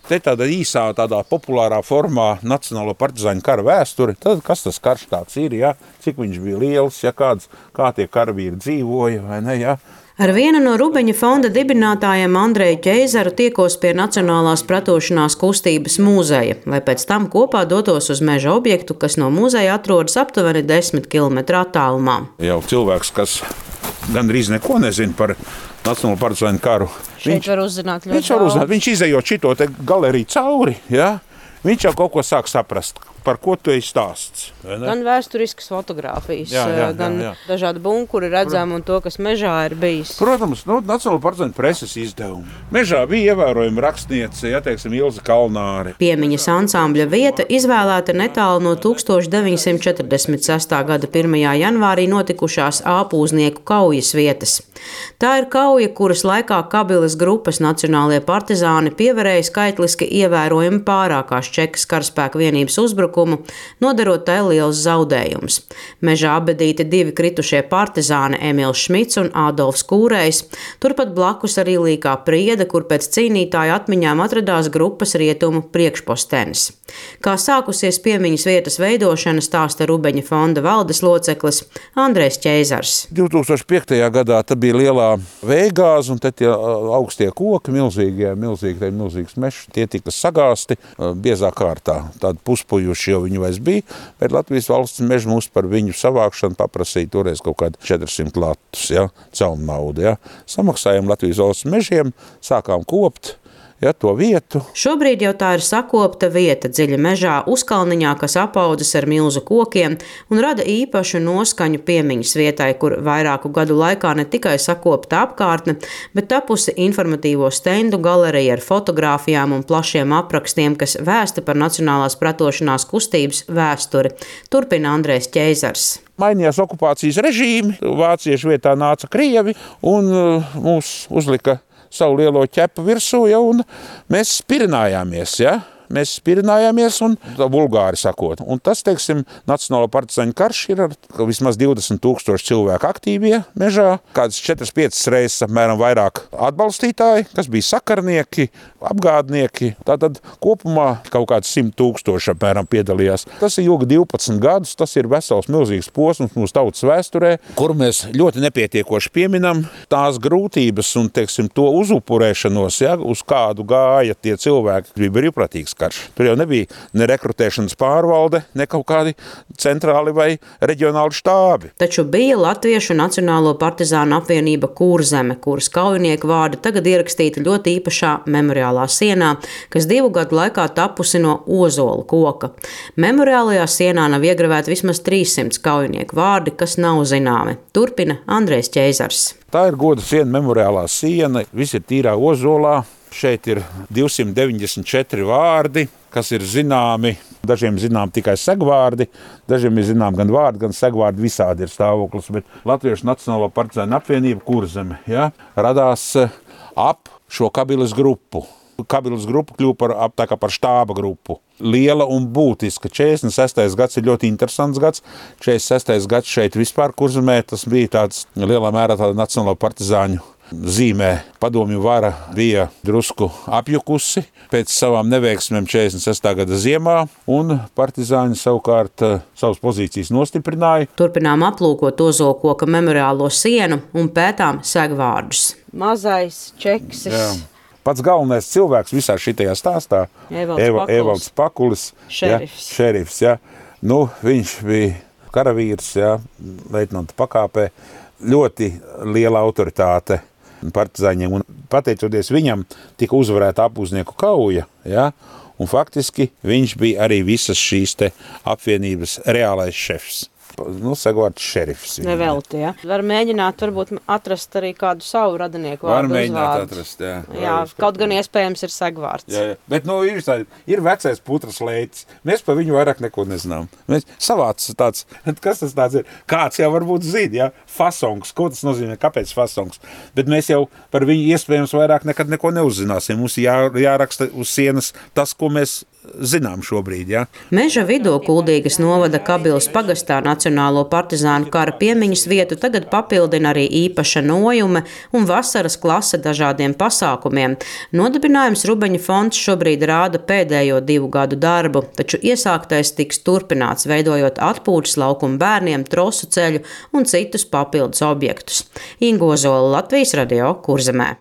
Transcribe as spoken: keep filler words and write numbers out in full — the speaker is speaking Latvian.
Te tādā īsā, tādā populārā formā Nacionālo partizāņu kara vēsturi, tad kas tas karš tāds ir, ja? Cik viņš bija liels, ja kāds, kā tie karavīri dzīvoja, vai ne, ja? Ar vienu no Rubeņa fonda dibinātājiem Andreju Ķeizaru tiekos pie Nacionālās pretošanās kustības mūzeja, lai pēc tam kopā dotos uz meža objektu, kas no mūzeja atrodas aptuveni desmit kilometru attālumā. Jau cilvēks, kas gandrīz neko nezina par Nacionālo partizāņu karu. Šeit viņš var uzzināt ļoti viņš var uzzināt, viņš izejot šito te galeriju cauri, ja? Viņš jau kaut ko sāk saprast, par ko tu esi stāsts. Gan vēsturiskas fotogrāfijas, jā, jā, gan jā, jā. dažādi bunkuri redzami un to, kas mežā ir bijis. Protams, nu, Nacionālo partizāņu preses izdevumi. Mežā bija ievērojama rakstniece, ja, teiksim, Ilze Kalnāre. Piemiņas ansambļa vieta izvēlēta netālu no tūkstoš deviņi simti četrdesmit sestā gada pirmajā janvārī notikušās āpūznieku kaujas vietas. Tā ir kauja, kuras laikā Kabilas grupas nacionālie partizāni pievarēja skaitliski ievērojami pārākās Čekas karaspēka vienības uzbrukumu, nodarot tai liels zaudējums. Mežā abedīti divi kritušie partizāni Emils Šmits un Ādolfs Kūrējs, turpat blakus arī Līkā Priede, kur pēc cīnītāju atmiņām atradās grupas rietumu priekšpostenis. Kā sākusies piemiņas vietas veidošana, stāsta Rubeņa fonda valdes loceklis Andrejs Ķeizars. divtūkstoš piektajā gadā tā bija lielā vējgāze, un te tie augstie koki, milzīgie, milzīgi, milzīgs mešs, tie tika sagāsti biezā kārtā. Tādi puspujuši jau viņi vairs bija, bet Latvijas valsts meža mums par viņu savākšanu paprasīja toreiz kaut kādi četrsimt latus, ja, caum naudu. Ja. Samaksājām Latvijas valsts mežiem, sākām kopt. Ja, to vietu. Šobrīd jau tā ir sakopta vieta dziļa mežā, uzkalniņā, kas apaudzis ar milzu kokiem un rada īpašu noskaņu piemiņas vietai, kur vairāku gadu laikā ne tikai sakopta apkārtne, bet tapusi informatīvo stendu galerija ar fotogrāfijām un plašiem aprakstiem, kas vēsta par Nacionālās pretošanās kustības vēsturi. Turpina Andrejs Ķeizars. Mainījās okupācijas režīmi, vāciešu vietā nāca krievi un uh, mūs uzlika savu lielo ķepu virsū, ja, un mēs spirinājāmies, ja? Mēs spirinājāmies un vulgāri sakot. Un tas, teiksim, Nacionālo partizāņu karš ir ar vismaz divdesmit tūkstoši cilvēku aktīvie mežā, kādas četras piecas reizes apmēram vairāk atbalstītāji, kas bija sakarnieki, apgādnieki. Tātad kopumā kaut kāds simt tūkstoši apmēram piedalījās. Tas ir ilgi divpadsmit gadus, tas ir vesels milzīgs posms mūsu tautas vēsturē, kur mēs ļoti nepietiekoši pieminam tās grūtības un, teiksim, to uzupurēšanos, ja, uz kādu gāja tie cilvēki, kas bija brīvprātīgs karš. Tur jau nebija ne rekrutēšanas pārvalde, ne kaut kādi centrāli vai reģionāli štābi. Taču bija Latviešu Nacionālo partizānu apvienība Kurzeme, kuras kaujinieku vārdi tagad ierakstīti ļoti īpašā memoriālā sienā, kas divu gadu laikā tapusi no ozola koka. Memoriālajā sienā nav iegravēti vismaz trīssimt kaujinieku vārdi, kas nav zināmi. Turpina Andrejs Ķeizars. Tā ir goda siena, memoriālā siena, viss ir tīrā ozolā. Šeit ir divsimt deviņdesmit četri vārdi, kas ir zināmi. Dažiem zinām tikai segvārdi, dažiem ir zinām gan vārdi, gan segvārdi, visādi ir stāvoklis. Bet Latviešu Nacionālo partizāņu apvienība Kurzeme, ja, radās ap šo Kabilas grupu. Kabilas grupa kļuva par, tā kā par štāba grupu. Liela un būtiska. četrdesmit sestais gads ir ļoti interesants gads. četrdesmit sestais gads šeit vispār Kurzemē, tas bija tāds lielā mērā tāda Nacionālo partizāņu zīmē. Padomju vara bija drusku apjukusi pēc savām neveiksmēm četrdesmit sestā gada ziemā, un partizāņi savukārt savas pozīcijas nostiprināja. Turpinām aplūkot ozolkoka memoriālo sienu un pētām segvārdus. Mazais Čeksis. Jā. Pats galvenais cilvēks visā šitajā stāstā, Evalds Pakulis, šerifs. Ja, šerifs ja. Nu, viņš bija karavīrs, ja, leitnanta pakāpē, ļoti liela autoritāte partizāņiem, un pateicoties viņam tika uzvarēta apūznieku kauja, ja, un faktiski viņš bija arī visas šīs te apvienības reālais šefs. Nu, segvārds šerifs. Nevelti, ja. Var mēģināt varbūt atrast arī kādu savu radinieku vārdu uzvārdu. Var mēģināt atrast, jā. Jā, kaut gan iespējams ir segvārds. Jā, jā. Bet, nu, ir, tā, ir vecais putras leitis. Mēs par viņu vairāk neko nezinām. Mēs savāds tāds, kas tas tāds ir? Kāds jau varbūt zina, jā, fasongs. Ko tas nozīmē? Kāpēc fasongs? Bet mēs jau par viņu iespējams vairāk nekad neko neuzzināsim. Mums jā, jāraksta uz sienas tas, ko mēs zinām šobrīd. Ja. Meža vidū Kuldīgas novada Kabilas pagastā Nacionālo partizānu kara piemiņas vietu tagad papildina arī īpaša nojume un vasaras klase dažādiem pasākumiem. Nodibinājums Rubeņu fonds šobrīd rāda pēdējo divu gadu darbu, taču iesāktais tiks turpināts, veidojot atpūtas laukumu bērniem, trosu ceļu un citus papildus objektus. Inga Ozola, Latvijas radio, Kurzemē.